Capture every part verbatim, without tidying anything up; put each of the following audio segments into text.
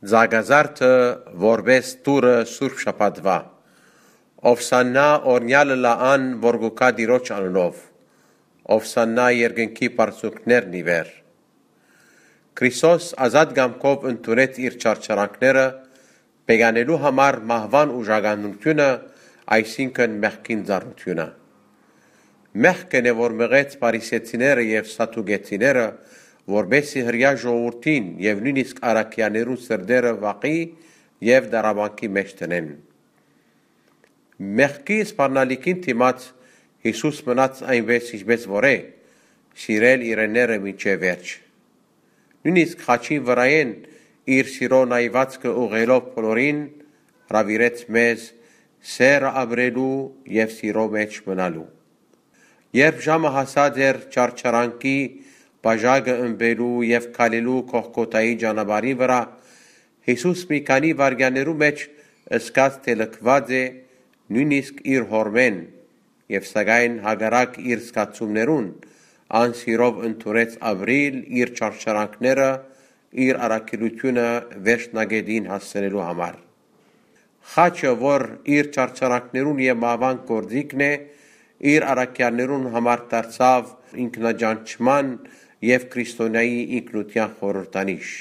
Ծակազարդը որպէս տուրը Սուրբ Շաբաթուայ։ Ովսաննա, օրհնեալ ըլլայ ան, որ կու գայ Տիրոջ անունով։ Ովսաննա երկնքի բարձունքներն ի վեր։ Քրիստոս ազատ կամքով ընդունեց իր չարչարանքները, բեկանելու համար մահուան ուժականութիւնը, այսինքն՝ մեղքին ծառութիւնը։ Մեղքն է, որ մղեց փարիսեցիները եւ սադուկեցիները, որպէս զի հրեայ ժողովուրդին եւ նոյնիսկ առաքեալներուն սրտերը վախի եւ տառապանքի մէջ դնեն։ Մեղքի սպառնալիքին դիմաց Յիսուս մնաց այնպէս, ինչպէս որ է, սիրել իրենները մինչեւ վերջ։ Նոյնիսկ խաչին վրայէն իր սիրոյ նայուածքը ուղղելով բոլորին, հրաւիրեց մեզ սէրը ապրելու եւ սիրոյ մէջ մնալու։ Երբ ժամը հասած էր չարչարանքի բաժակը ըմպելու եւ քալելու Գողգոթայի ճանապարհին վրայ, Յիսուս մի քանի վայրկեաններու մէջ զգաց թէ լքուած է նոյնիսկ իր Հօրմէն, եւ սակայն հակառակ իր զգացումներուն, ան սիրով ընդունեց ապրիլ իր չարչարանքները, իր առաքելութիւնը վերջնակէտին հասցնելու համար։ Խաչը, որ իր չարչարանքներուն եւ մահուան գործիքն է, իր առաքեալներուն համար դարձաւ ինքնաճանչման եւ քրիստոնեայի ինքնութեան խորհրդանիշ։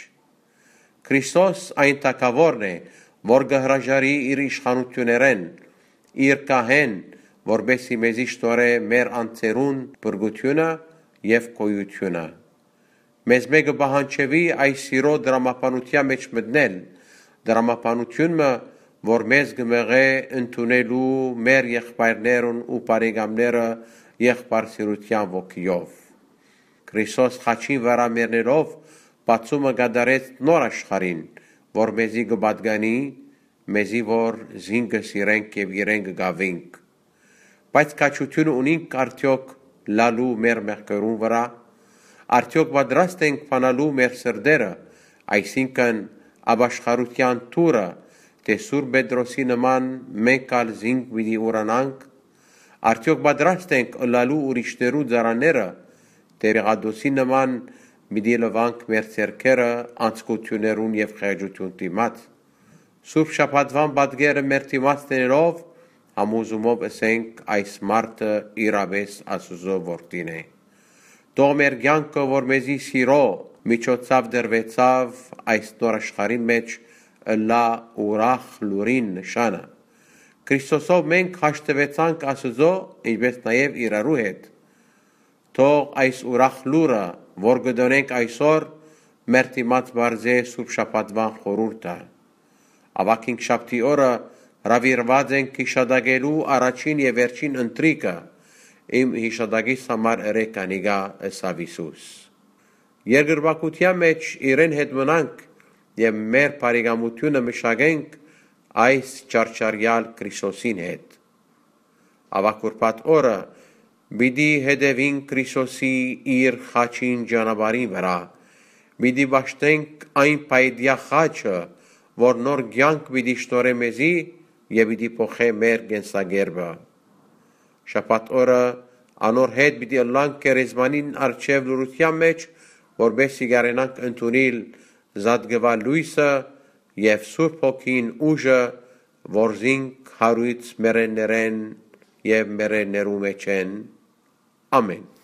Քրիստոս այն թագաւորն է, որ կը հրաժարի իր իշխանութիւններէն, իր գահէն, որպէս զի մեզի շնորհէ մեր անձերուն փրկութիւնը եւ գոյութիւնը։ Մեզմէ կը պահանջուի այս սիրոյ դրամաբանութեան մէջ մտնել, դրամաբանութիւն մը, որ մեզ կը մղէ ընդունելու մեր եղբայրներուն ու բարեկամները եղբայրասիրութեան ոգիով։ Քրիստոս խաչին վրայ մեռնելով բացումը կատարեց նոր աշխարհին, որ մեզի կը պատկանի, մեզի որ զինքը սիրենք եւ իրեն կը գաւինք։ Բայց քաջութիւնը ունինք արդեօք լալու մեր մեղքերուն վրայ։ Արդեօք պատրաստ ենք բանալու մեր սրտերը, այսինքն՝ ապաշխարութեան դուռը, թէ Սուրբ Պետրոսի նման մենք ալ զինք պիտի ուրանանք։ Արդեօք պատրաստ ենք ըլլալու ուրիշներու ծառաները, թէ Պիղատոսի նման պիտի լվանք մեր ձեռքերը անձկութիւններուն եւ խեղճութիւն դիմաց։ Սուրբ Շաբաթուան պատկերը մեր դիմաց դնելով, համոզումով ըսենք՝ այս մարդը իրապէս Աստուծոյ որդին է։ Թող մեր կեանքը, որ մեզի սիրոյ միջոցաւ տրուեցաւ այս նոր աշխարհին մէջ, ըլլայ ուրախ լուրին նշանը։ Քրիստոսով մենք հաշտուեցանք Աստուծոյ, ինչպէս նաեւ իրարու հետ։ Թող այս ուրախ լուրը, որ կը տոնենք այսօր, մեր դիմաց պարզէ Սուրբ Շաբաթուան խորհուրդը։ Աւագ Հինգշաբթի օրը հրաւիրուած ենք յիշատակելու առաջին եւ վերջին ընթրիքը։ «Իմ յիշատակիս համար ըրէք անիկա», ըսաւ Յիսուս։ Երկրպագութեան մէջ իրեն հետ մնանք եւ մեր բարեկամութիւնը մշակենք այս չարչարեալ Քրիստոսին հետ։ Աւագ Ուրբաթ օրը պիտի հետեւինք Քրիստոսի իր խաչին ճանապարհին վրայ։ Պիտի պաշտենք այն փայտեայ խաչը, որ նոր կեանք պիտի շնորհէ մեզի եւ պիտի փոխէ մեր կենսակերպը։ Շաբաթ օրը անոր հետ պիտի ըլլանք գերեզմանին առջեւ լռութեան մէջ, որպէս զի կարենանք ընդունիլ զատկուայ լոյսը եւ Սուրբ Հոգին ուժը, որ զինք յարոյց մեռելներէն եւ մեռելներու մէջէն։ Ամէն։